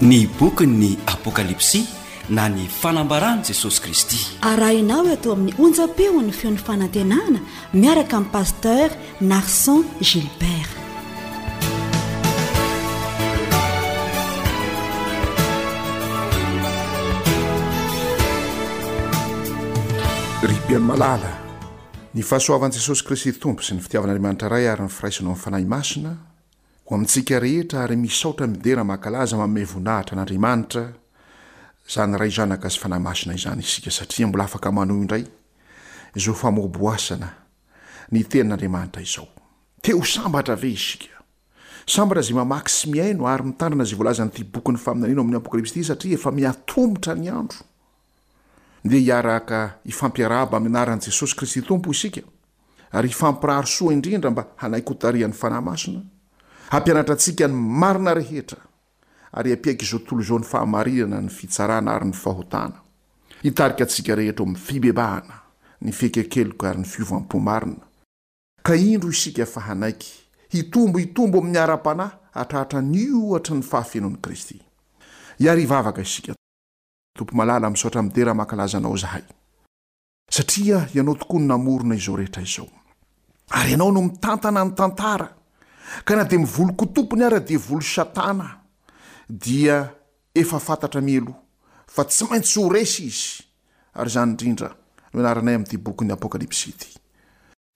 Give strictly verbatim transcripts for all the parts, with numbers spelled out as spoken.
Ny bokin'ny Apokalypsy na ny fanambaran'i Jesosy Kristy. Arahinao eto amin'ny onjam-peon'ny feon'ny fanantenana miaraka amin'ny Pasteur Narson Gilbert. Ry mpihaino malala, ny fahasoavan'i Jesosy Kristy Tompo sy ny fitiavan'Andriamanitra Ray ary ny firaisana ao amin'ny Fanahy Masina ho amintsika rehetra ary misaotra midera mankalaza manome voninahitra an'Andriamanitra izany Ray Zanaka sy Fanahy Masina izany isika satria mbola afaka manohy indray izao famoaboasana ny tenin'Andriamanitra izao. Te ho sambatra ve isika? Sambatra izay mamaky sy mihaino ary mitandrina izay voalazan'ity bokin'ny faminaniana ao amin'ny Apokalypsy ity satria efa mihatomotra ny andro. Ndeha hiaraka hifampiarahaba amin'ny anaran'i Jesosy Kristy Tompo isika ary hifampirary soa indrindra mba hanaiky hotarihan'ny Fanahy Masina, hampianatra antsika ny marina rehetra ary hampiaiky izao tontolo izao ny fahamarinana, ny fitsarana ary ny fahotana. Hitarika antsika rehetra ho amin'ny fibebahana, ny fiaikekeloka ary ny fiovam-po marina. Ka indro isika fa hanaiky hitombo hitombo amin'ny ara-panahy hatrahatra ny ohatry ny fahafenoan'i Kristy. Hiary hivavaka isika. Tompo malala, misaotra midera mankalaza Anao izahay, satria Ianao tokoa no namorona izao rehetra izao, ary Ianao no mitantana ny tantara, ka na dia mivoly tompony ara devoly Satana, dia efa fantatra mialoha fa tsy maintsy ho resy izy, ary izany indrindra no ianaranay amin'ity bokin'ny Apokalypsy ity.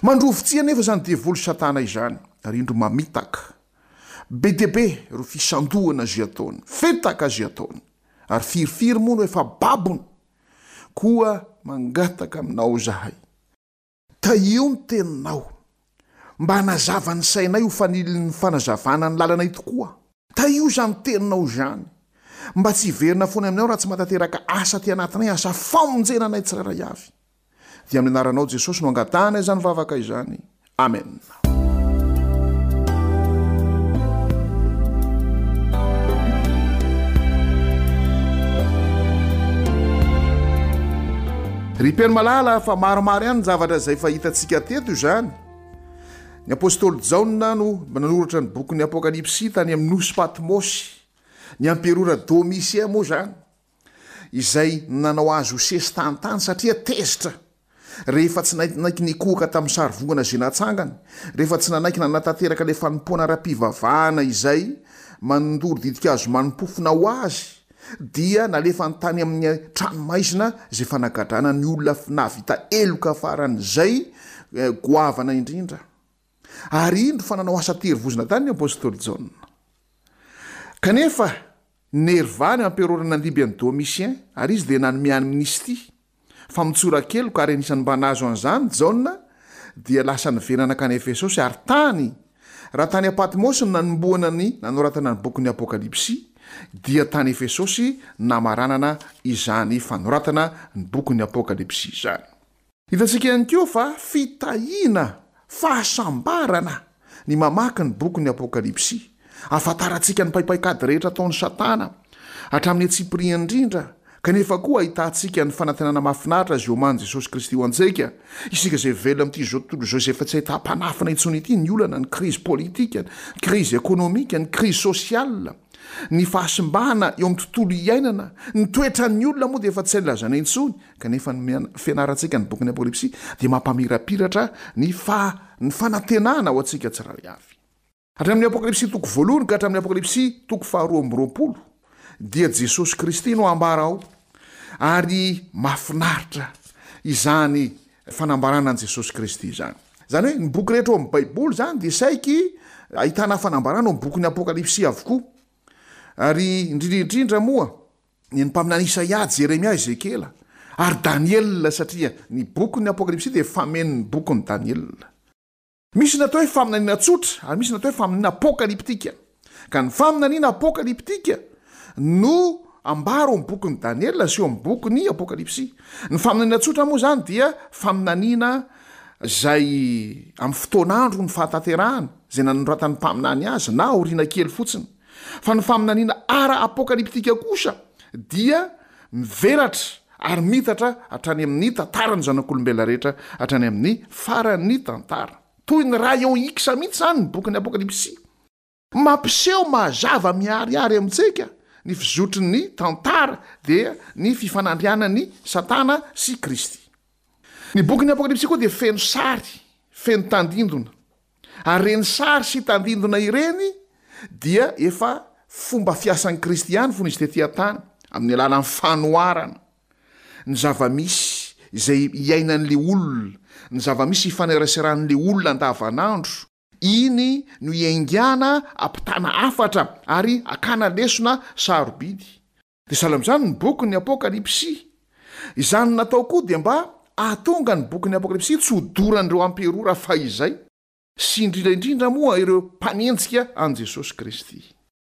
Mandrovitsihy anefa izany devoly Satana izany, ary indro mamitaka. Be dia be ireo fisandohana izay ataony, fetaka izay ataony, ary firifiry moa no efa babony. Koa mangataka aminao izahay, tahio ny teninao, mba hanazava ny sainay ho fanilin'ny fanazavana ny lalanay tokoa. Tahio izany teninao izany, mba tsy hiverina foana aminao raha tsy mahatanteraka asa aty anatinay, asa famonjena anay tsirairay avy. Dia amin'ny anaranao Jesosy no angatahana izany vavaka izany. Amen. Ry mpihaino malala, fa maromaro ihany ny zavatra izay efa hitantsika teto izany. Ny apostoly Jaona no nanoratra ny bokin'ny Apokalypsy tany amin'ny nosy Patmosy. Ny amperora Domitien moa izany, izay nanao azy ho sesitany tany satria tezitra rehefa tsy nanaiky nikohaka tamin'ny sarivongana izay natsangany, rehefa tsy nanaiky nanatanteraka ilay fanompoana ara-pivavahana izay mandoro ditin-kazo manim-pofona ho azy, dia nalefany tany amin'ny tranomaizina izay fanagadrana ny olona nahavita heloka faran'izay goavana indrindra. Ary indro fa nanao asa terivozona tany ny apostoly Jaona. Kanefa Nerva ny amperôra nandimby an'i Domitien, ary izy dia nanome amnistia, famotsoran-keloka, ary anisan'ny mba nahazo an'izany Jaona, dia lasa niverina nankany Efesosy, ary tany, raha tany Patmosy no nanombohana ny nanoratana ny bokin'ny Apokalypsy, dia tany Efesosy namaranana izany fanoratana ny bokin'ny Apokalypsy izany. Hitantsika ihany koa fa fitahiana, fahasambarana, ny mamaky ny bokin'ny Apokalypsy. Ahafantarantsika ny paipaikady rehetra ataon'i Satana, hatramin'ny antsipiriany indrindra, kanefa koa ahitantsika ny fanantenana mahafinaritra izay omanin'i Jesosy Kristy ho antsika, isika izay velona amin'ity izao tontolo izao izay efa tsy ahitam-panafina intsony ity, ny olana, ny krizy politika, ny krizy ekonomika, ny krizy sosiala. Ny fahasimbana eo amin'ny tontolo iainana, ny toetran'ny olona moa dia efa tsy hay lazaina intsony, kanefa ny fianarantsika ny bokin'ny Apokalypsy dia mampamirapiratra ny faha ny fanantenana ho antsika tsirairay avy. Hatramin'ny Apokalypsy toko voalohany ka hatramin'ny Apokalypsy toko faharoa amby roapolo dia Jesosy Kristy no ambara ao, ary mahafinaritra izany fanambarana an'i Jesosy Kristy izany. Izany hoe ny boky rehetra ao amin'ny Baiboly izany dia saiky ahitana fanambarana ao amin'ny bokin'ny Apokalypsy avokoa. Ary indrindra indrindra moa ny an'ny mpaminany Isaia, Jeremia, Ezekiela ary Daniela satria ny bokin'ny Apokalypsy dia famenon'ny bokin'i Daniela. Misy ny atao hoe faminaniana tsotra ary misy ny atao hoe faminaniana apokalyptika. Ka ny faminaniana apokalyptika no ambara ao amin'ny bokin'i Daniela sy ao amin'ny bokin'ny Apokalypsy. Ny faminaniana tsotra moa izany dia faminaniana izay amin'ny fotoan'andro ny fahatanterahany, izay nanoratan'ny mpaminany azy na aoriana kely fotsiny. Fa ny faminaniana ara-apokalyptika kosa dia mivelatra ary miitatra hatrany amin'ny tantaran'ny zanak'olombelona rehetra hatrany amin'ny faran'ny tantara. Toy ny rayon X mihitsy izany ny bokin'ny Apokalypsy. Mampiseho mazava miharihary amintsika ny fizotry ny tantara, dia ny fifanandrianan'ny Satana sy Kristy. Ny bokin'ny Apokalypsy koa dia feno sary, feno tandindona. Ary ireny sary sy tandindona ireny dia efa fomba fiasan'i Kristy ihany fony izy tety an-tany, amin'ny alalan'ny fanoharana ny zava-misy izay iainan'ilay olona, ny zava-misy ifaneraseran'ilay olona andavanandro. Iny no iaingana ampitana hafatra ary akana lesona sarobidy. Dia sahala amin'izany ny bokin'ny Apokalypsy. Izany natao koa dia mba hahatonga ny bokin'ny Apokalypsy tsy ho doran'ireo amperora fahizay, sy indrindra indrindra moa ireo mpanenjika an'i Jesosy Kristy.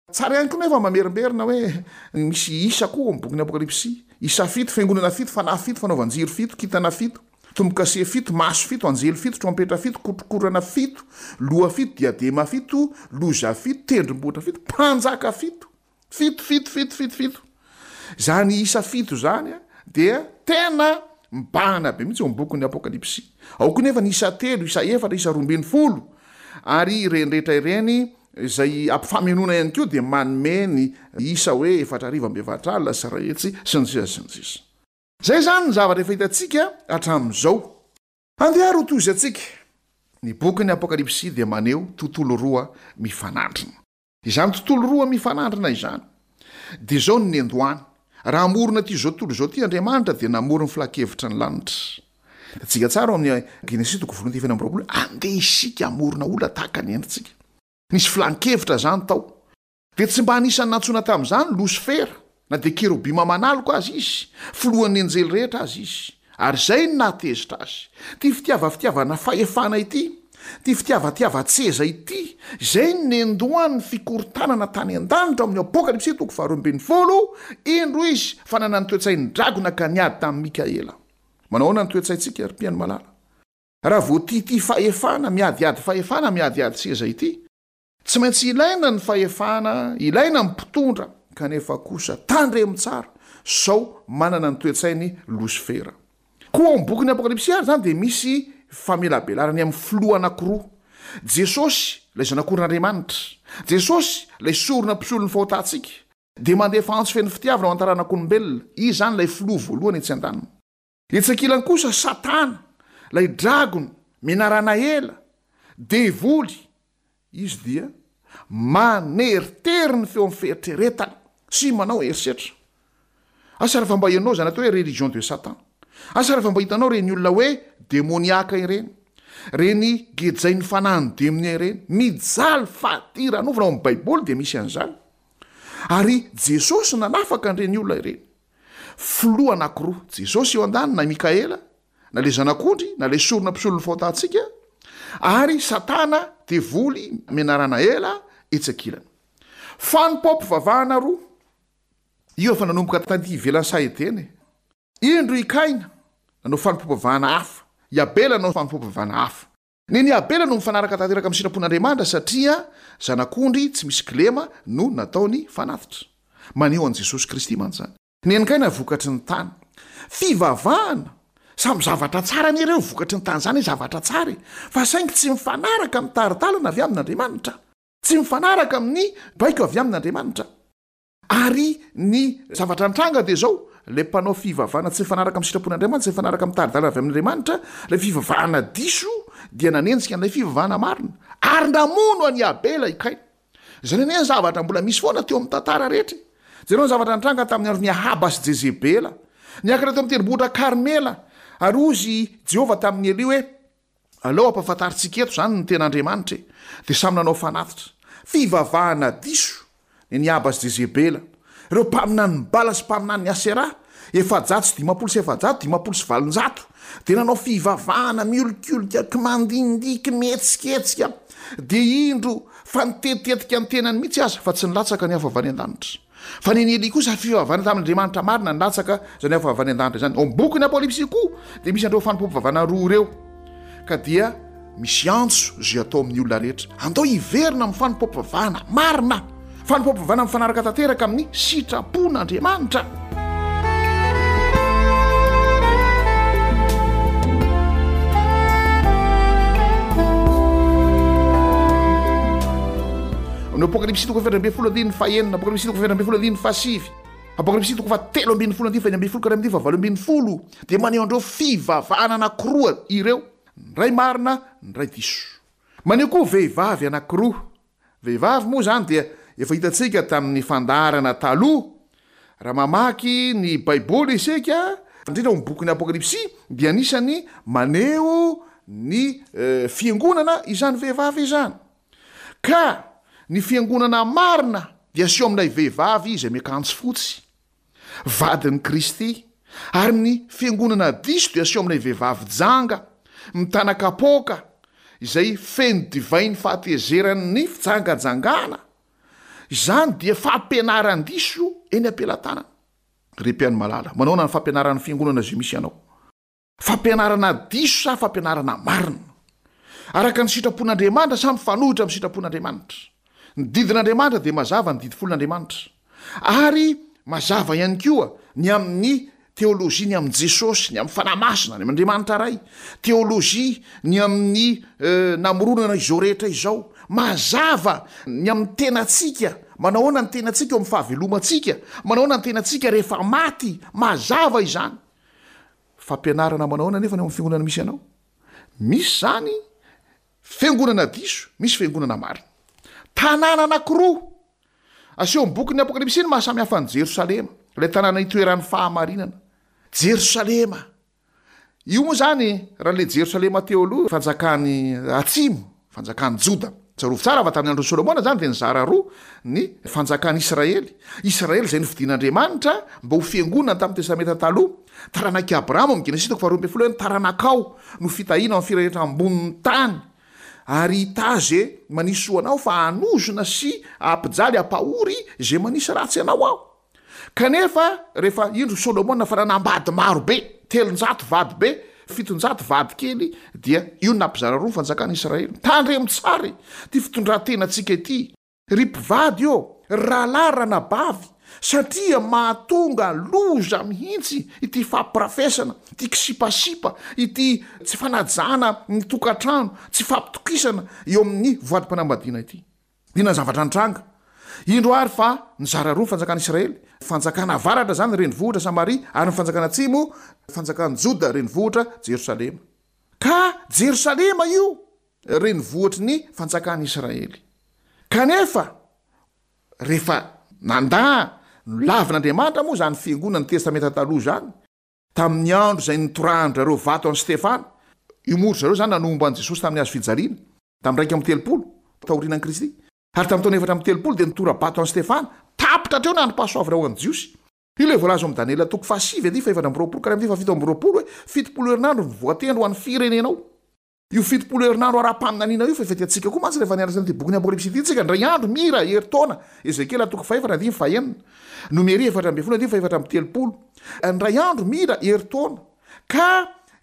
Tsara ihany koa nefa mamerimberina hoe misy isa koa amin'ny bokin'ny Apokalypsy. Isa fito, fiangonana fito, fanahy fito, fanaovan-jiro fito, kintana fito, tombo-kase fito, maso fito, anjely fito, trompetra fito, kotrokorana fito, loha fito, diadema fito, loza fito, tendrombohitra fito, mpanjaka fito. Fito, fito, fito, fito, fito. Izany isa fito izany dia tena mibahana be mihitsy eo amin'ny bokin'ny Apokalypsy. Ao koa nefa ny isa telo, isa efatra, isa roa ambin'ny folo, ary ireny rehetra ireny izay ampifamenoana ihany koa dia manome ny isa hoe efatra arivo amby efatra alina sy iray hetsy sy ny sisa sy ny sisa. Izay izany ny zavatra efa hitantsika hatramin'izao. Andeha ary ho tohizantsika. Ny bokin'ny Apokalypsy dia maneho tontolo roa mifanandrina. Izany tontolo roa mifanandrina izany dia izao ny nendoany. Raha hamorona ity izao tontolo izao ity Andriamanitra dia namory ny filan-kevitra ny lanitra. Hitantsika tsara ao amin'ny Genesisy toko voalohany andininy fahenina amby roapolo, andeha isika hamorona olona tahaka ny endritsika. Nisy filan-kevitra izany tao. Dia tsy mba anisan'ny nantsoina tamin'izany Losifera, na dia kerobima manaloka aza izy, filohan'ny anjely rehetra aza izy. Ary izay no nahatezitra azy. Ity fitiavafitiavana fahefana ity, ity fitiavatiavan-tseza ity, izay no nendohan'ny fikorontanana tany an-danitra ao amin'ny Apokalypsy toko faharoa ambin'ny folo, indro izy fa nanana ny toe-tsain'ny dragona ka niady tamin'i Mikaela. Manao ahoana ny toe-tsaintsika, ry mpihaino malala? Raha vao tia ity fahefana, miadiady fahefana, miadiady seza ity, tsy maintsy ilaina ny fahefana, ilaina ny mpitondra, kanefa kosa tandremo tsara sao manana ny toe-tsainy Losifera. Koa ao amin'ny bokin'ny Apokalypsy ary izany dia misy famelabelarany amin'ny filoha anankiroa, Jesosy, ilay Zanak'ondrin'Andriamanitra, Jesosy, ilay sorona mpisolo ny fahotantsika, dia mandefa antso feno fitiavana ho an'ny taranak'olombelona. Izy izany ilay filoha voalohany etsy an-daniny. Etsy ankilany kosa Satana, ilay dragona, menarana ela, devoly, izy dia maneritery ny feon'ny fieritreretana sy manao herisetra. Asa raha mba ianao izany atao hoe religion de Satan. Asa raha mba hitanao ireny olona hoe demoniaka ireny, ireny gejain'ny fanahin'ny demonia ireny, mijaly fadiranovana. Ao amin'ny Baiboly dia misy an'izany. Ary Jesosy nanafaka an'ireny olona ireny. Filoha anankiroa, Jesosy eo an-daniny na Mikaela, na ilay zanak'ondry, na ilay sorona mpisolo ny fahotantsika, ary Satana devoly menarana ela etsy ankilany. Fanompoam-pivavahana roa, io efa nanomboka taty ivelan'ny saha Edena. Indro i Kaina nanao fanompoam-pivavahana hafa, i Abela nanao fanompoam-pivavahana hafa. Neny Abela no mifanaraka tanteraka amin'ny sitrapon'Andriamanitra satria zanak'ondry tsy misy kilema no nataony fanatitra. Maneho an'i Jesosy Kristy mantsy izany. Neny Kaina vokatry ny tany. Fivavahana, samy zavatra tsara anie ireo vokatry ny tany izany, zavatra tsara e, fa saingy tsy mifanaraka amin'ny tari-dalana avy amin'Andriamanitra. Tsy mifanaraka amin'ny baiko avy amin'Andriamanitra. Ary ny zavatra nitranga dia izao, ilay mpanao fivavahana tsy mifanaraka amin'ny sitrapon'Andriamanitra, tsy mifanaraka amin'ny tari-dalana avy amin'Andriamanitra, ilay fivavahana diso dia nanenjika an'ilay fivavahana marina, ary namono an'i Abela i Kaina. Izany anie ny zavatra mbola misy foana teo amin'ny tantara rehetra. Jereo ny zavatra nitranga tamin'ny andron'i Ahaba sy Jezebela. Niakatra teo amin'ny tendrombohitra Karmela, ary hozy i Jehovah tamin'i Elia hoe, Aleo hampahafantarintsika eto izany ny tena Andriamanitra e! Dia samy nanao fanatitra. Fivavahana diso ny an'i Ahaba sy Jezebela. Ireo mpaminanin'i Bala sy mpaminanin'i Aseraha, efajato sy dimampolo sy efajato, dimampolo sy valonjato, dia nanao fivavahana miolikolika, kimandindiky, mihetsiketsika. Dia indro fa nitetitetika ny tenany mihitsy aza, fa tsy nilatsaka ny afo avy any an-danitra. Fa ny an'i Elia kosa fivavahana tamin'Andriamanitra marina nilatsaka izany afo avy any an-danitra izany. Ao amin'ny bokin'ny Apokalypsy koa dia misy an'ireo fanompoam-pivavahana roa ireo, ka dia misy antso izay atao amin'ny olona rehetra. Andao hiverina amin'ny fanompoam-pivavahana marina, fanompoam-pivavahana mifanaraka tanteraka amin'ny sitrapon'Andriamanitra. Amin'ny Amin'ny Apokalypsy toko fahaefatra ambin'ny folo andininy fahenina, Apokalypsy toko fahaefatra ambin'ny folo andininy fahasivy, Apokalypsy toko fahatelo ambin'ny folo andininy fahenina ambin'ny folo ka hatramin'ny fahavalo ambin'ny folo dia maneho an'ireo fivavahana anankiroa ireo, ny iray marina, ny iray diso. Maneho koa vehivavy anankiroa. Vehivavy moa izany dia efa hitantsika tamin'ny fandaharana taloha. Raha mamaky ny Baiboly isika, indrindra ao amin'ny bokin'ny Apokalypsy, dia anisan'ny maneho ny fiangonana izany vehivavy izany. Ka ny fiangonana marina dia aseho amin'ilay vehivavy izay miakanjo fotsy, vadin'i Kristy, ary ny fiangonana diso dia aseho amin'ilay vehivavy janga, mitana kapoaka, izay feno divain'ny fahatezeran'ny fijangajangana. Izany dia fampianaran-diso eny am-pelatanana. Ry mpihaino malala, manahoana ny fampianaran'ny fiangonana izay misy anao? Fampianarana diso sa fampianarana marina? Araka ny sitrapon'Andriamanitra sa mifanohitra amin'ny sitrapon'Andriamanitra? Ny didin'Andriamanitra dia mazava ny didy folon'Andriamanitra. Ary mazava ihany koa ny amin'ny teolojia ny amin'i Jesosy, ny amin'ny Fanahy Masina, ny amin'Andriamanitra Ray, teolojia ny amin'ny namoronana izao rehetra izao. Mazava ny amin'ny tenantsika, manao ahoana ny tenantsika eo amin'ny fahavelomantsika, manao ahoana ny tenantsika rehefa maty, mazava izany. Fampianarana manao ahoana anefa ny ao amin'ny fiangonana misy anao? Misy izany fiangonana diso, misy fiangonana marina. Tanàna anankiroa aseho amin'ny bokin'ny Apokalypsy ny maha samy hafa an'i Jerosalema, ilay tanàna itoeran'ny fahamarinana. Jerosalema. Io moa izany, raha ilay Jerosalema teo aloha, fanjakany atsimo, fanjakan'i Joda. Tsarovy tsara fa tamin'ny andron'i Solomona izany dia nizara roa ny fanjakan'i Israely. Israely izay nofidin'Andriamanitra mba ho fiangonana tamin'ny Testamenta Taloha. Taranak'i Abrahama, amin'ny Genesisy toko faharoa ambin'ny folo hoe ny taranakao no fitahiana amin'ny firenena ambonin'ny tany. Ary hitahy izay manisy soa anao fa hanozona sy hampijaly hampahory izay manisy ratsy anao aho. Kanefa rehefa indro Solomona fa nanambady maro be, telonjato vady be, fitonjato vady kely, dia io no nampizara roa ny fanjakan'i Israely. Tandremo tsara ity fitondran-tenantsika ity, ry mpivady ô, ry rahalahy, ry ranabavy, satria mahatonga loza mihitsy ity fampirafesana, ity kisipasipa, ity tsy fanajana ny tokantrano, tsy fampitokisana eo amin'ny voadim-panambadiana ity. Inona ny zavatra nitranga? Indro àry fa nizara roa ny fanjakan'i Israely, fanjakana avaratra izany, renivohitra Samaria, ary ny fanjakana atsimo, fanjakan'i Joda, renivohitra Jerosalema. Ka Jerosalema io renivohitry ny fanjakan'i Israely. Kanefa, rehefa nandà nolavin'Andriamanitra moa izany fiangonan'ny Testamenta Taloha izany, tamin'ny andro izay nitorahan-dry zareo vato an'i Stefana, io moa ry zareo izany nanombo an'i Jesosy tamin'ny hazo fijaliana, tamin'ny iraika amby telopolo taorianan'i Kristy, ary tamin'ny taona efatra amby telopolo dia nitora-bato an'i Stefana, tapitra hatreo ny androm-pahasoavana ho an'ny Jiosy. Io ilay voalaza ao amin'ny Daniela toko fahasivy andininy fahefatra amby roapolo ka hatramin'ny fahafito amby roapolo hoe fitopolo herinandro no voatendry ho an'ny firenenao. Io fitopolo herinandro ara-paminaniana io fa efa hitantsika koa mantsy rehefa nianatra an'ity bokin'ny Apokalypsy ity isika, indray andro, mira, herintaona, Ezekiela toko fahefatra andininy fahenina, Nomery efatra ambin'ny folo andininy fahefatra amby telopolo, indray andro, mira, herintaona. Ka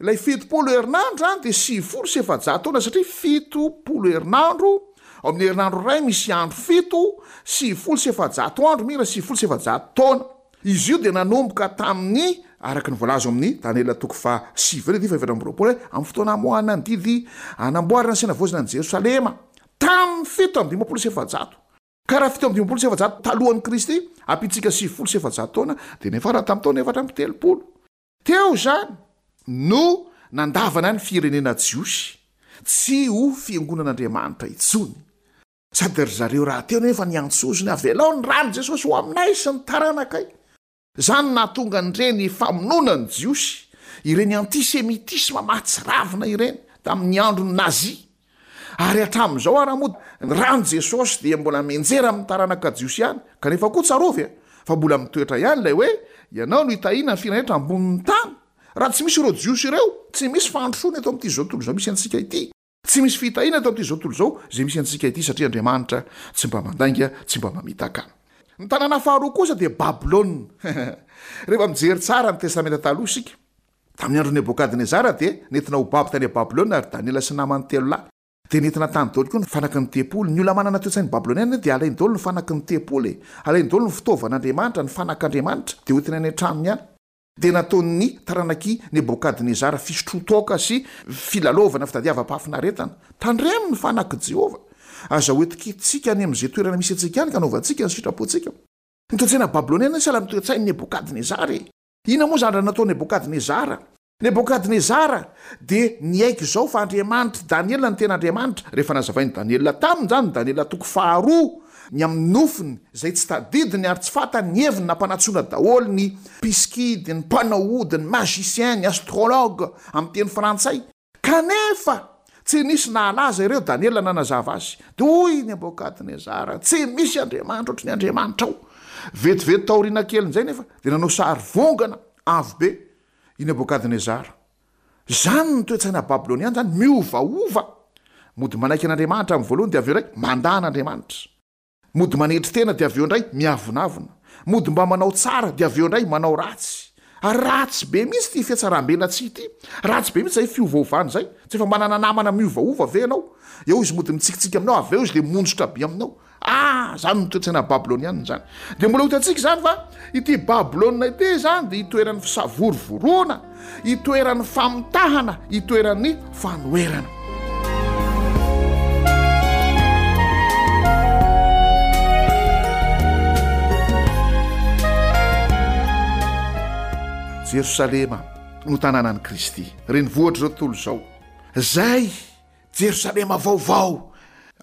ilay fitopolo herinandro izany dia sivifolo sy efajato taona satria fitopolo herinandro, ao amin'ny herinandro iray misy andro fito, sivifolo sy efajato andro, mira, sivifolo sy efajato taona. Izy io dia nanomboka tamin'ny, araka ny voalaza ao amin'ny Daniela toko fahasivy andininy fahefatra amby roapolo hoe, amin'ny fotoana hamoahana ny didy hanamboarana sy hanavaozana an'i Jerosalema, tamin'ny fito amby dimampolo sy efajato. Ka raha fito amby dimampolo sy efajato talohan'i Kristy, ampintsika sivifolo sy efajato taona, dia niafara tamin'ny taona efatra amby telopolo. Teo izany no nandavana ny firenena jiosy tsy ho fiangonan'Andriamanitra intsony. Sady ry zareo rahateo nefa niantso ozona, avelao ny ran'i Jesosy ho aminay sy ny taranakay. Izany no nahatonga an'ireny famonoana ny Jiosy, ireny antisemitisma mahatsiravina ireny, tamin'ny andron'ny Nazi. Ary hatramin'izao ara moa, ny ran'i Jesosy dia mbola mianjera amin'ny taranaka Jiosy ihany. Kanefa koa tsarovy fa mbola mitoetra ihany ilay hoe, Ianao no hitahiana ny firenena rehetra ambonin'ny tany. Raha tsy misy ireo Jiosy ireo, tsy misy fandrosoana eto amin'ity izao tontolo izao misy antsika ity. Tsy misy fitahiana eto amin'ity izao tontolo izao izay misy antsika ity satria Andriamanitra tsy mba mandainga, tsy mba mamitaka. Ny tanàna faharoa kosa dia Babylona. Rehefa mijery tsara ny Testamenta Taloha isika, tamin'ny andron'i Nebokadnezara dia nentina ho babo tany Babylona ry Daniela sy ny namany telo lahy. Dia nentina tany daholo koa ny fanaky ny tempoly. Ny olona manana toe-tsain'ny Babyloniana dia alainy daholo ny fanaky ny tempoly e. Alainy daholo ny fitaovan'Andriamanitra, ny fanak'Andriamanitra, dia hoentiny any an-tranony any. Dia nataon'ny taranak'i Nebokadnezara fisotroan-toaka sy filalaovana fitadiavam-pahafinaretana. Tandremo ny fanak'i Jehovah. Aza hoentintsika any amin'izay toerana misy antsika any ka anaovantsika ny sitrapontsika. Ny toe-tsaina babyloniana sahala amin'ny toe-tsain'i Nebokadnezara e. Inona moa izany raha natao Nebokadnezara? Nebokadnezara dia niaiky izao fa Andriamanitr'i Daniela no tena Andriamanitra. Rehefa nazavain'i Daniela taminy izany, Daniela toko faharoa, ny amin'ny nofiny izay tsy tadidiny ary tsy fantany ny heviny, nampanantsoina daholo ny mpisikidy, ny mpanao ody, ny magicien, ny astrologue amin'ny teny frantsay. Kanefa tsy nisy nahalaza ireo, Daniela nanazava azy. Dia hoy Nebokadnezara, Tsy misy Andriamanitra ohatry ny Andriamanitrao. Vetivety taoriana kelin'izay nefa dia nanao sary vongana avo be i Nebokadnezara. Izany ny toe-tsaina babyloniana izany, miovaova. Mody manaiky an'Andriamanitra amin'ny voalohany dia avy eo indray mandà an'Andriamanitra. Mody manetry tena dia avy eo indray miavonavona. Mody mba manao tsara dia avy eo indray manao ratsy. Ary ratsy be mihitsy ity fihatsarambelatsihy ity. Ratsy be mihitsy izay fiovaovana izay. Tsy efa manana namana miovaova ve ianao? Eo izy mody mitsikitsiky aminao, avy eo izy dia monjotra be aminao. Ah, izany no toe-tsaina babylonianina izany. Dia mbola ho hitantsika izany fa ity Babylona ity izany dia itoeran'ny fisavorovoroana, itoeran'ny famitahana, itoeran'ny fanoherana. Jerosalema no tanànan'i Kristy, renivohitr'izao tontolo izao. Izay Jerosalema vaovao.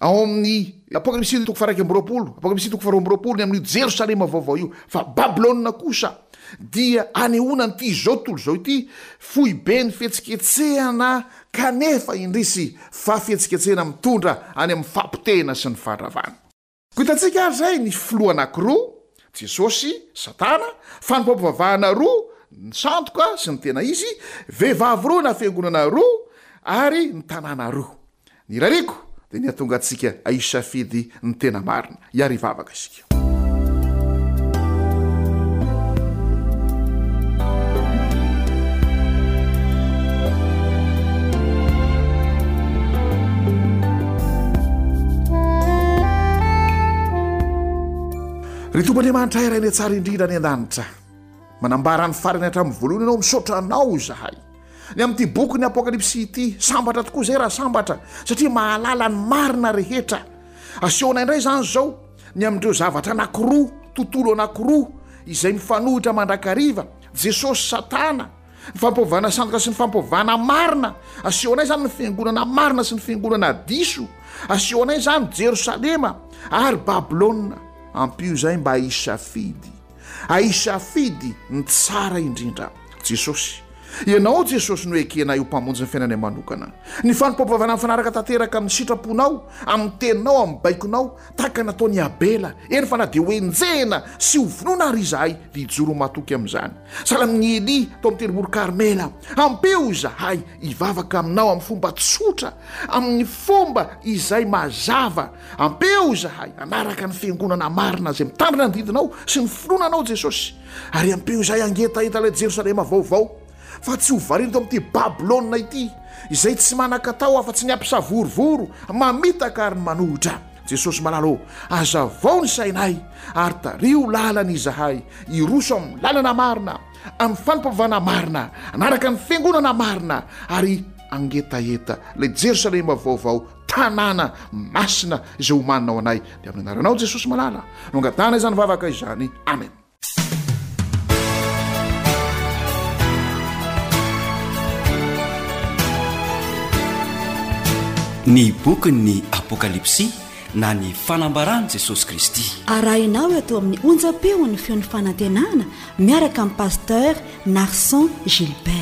Ao amin'ny Apokalypsy toko faha-iraika amby roapolo, Apokalypsy toko faharoa amby roapolo, ny amin'io Jerosalema vaovao io. Fa Babylona kosa dia anehoana an'ity izao tontolo izao ity, foiben'ny fihetsiketsehana kanefa indrisy fa fihetsiketsehana mitondra any amin'ny fahapotehana sy ny fahadravana. Koa hitantsika ary izay ny filoha anankiroa, Jesosy, Satana, fanompoam-pivavahana roa, ny sandoka sy ny tena izy, vehivavy roa na fiangonana roa, ary ny tanàna roa. Ny irariako dia ny hahatonga antsika hisafidy ny tena marina. Hiary hivavaka isika. Ry Tompo Andriamanitra Ray Rainay tsara indrindra any an-danitra, manambara ny farany hatramin'ny voalohany Ianao, misaotra Anao izahay. Ny amin'ity bokin'ny Apokalypsy ity, sambatra tokoa izay raha sambatra, satria mahalala ny marina rehetra. Asehonay indray izany izao ny amin'ireo zavatra anankiroa, tontolo anankiroa, izay mifanohitra mandrakariva, Jesosy, Satana, ny fampivavahana sandoka sy ny fampivavahana marina. Asehonay izany ny fiangonana marina sy ny fiangonana diso. Asehonay izany Jerosalema ary Babylona. Ampio izay mba hisafidy, ahisafidy ny tsara indrindra. Jesosy. Ianao Jesosy no ekenay ho Mpamonjy ny fiainanay manokana. Ny fanompoam-pivavahana mifanaraka tanteraka amin'ny sitraponao, amin'ny teninao, amin'ny baikonao, tahaka ny nataon'i Abela, eny fa na dia ho enjehina sy ho vonoina ary izahay, dia hijoro ho matoky amin'izany. Sahala amin'i Elia tao amin'ny tendrombohitra Karmela, ampio izahay hivavaka aminao amin'ny fomba tsotra, amin'ny fomba izay mazava. Ampio izahay hanaraka ny fiangonana marina izay mitandrina ny didinao sy ny finoana anao Jesosy. Ary ampio izahay hangetaheta ilay Jerosalema vaovao, fa tsy ho variana eto amin'ity Babylona ity, izay tsy manan-katao afa-tsy ny hampisavorovoro, mamitaka ary ny manohitra. Jesosy malala ô, hazavao ny sainay ary tariho lalana izahay hiroso amin'ny lalana marina, amin'ny fanompoavana marina, hanaraka ny fiangonana marina ary hangetaheta ilay Jerosalema vaovao, tanàna masina izay omanina ho anay. Dia amin'ny anaranao Jesosy malala no angatahana izany vavaka izany. Amen. Ny bokin'ny Apokalypsy na ny fanambaran'i Jesosy Kristy. Arahinao eto amin'ny onjam-peon'ny feon'ny fanantenana miaraka amin'ny Pasteur Narson Gilbert.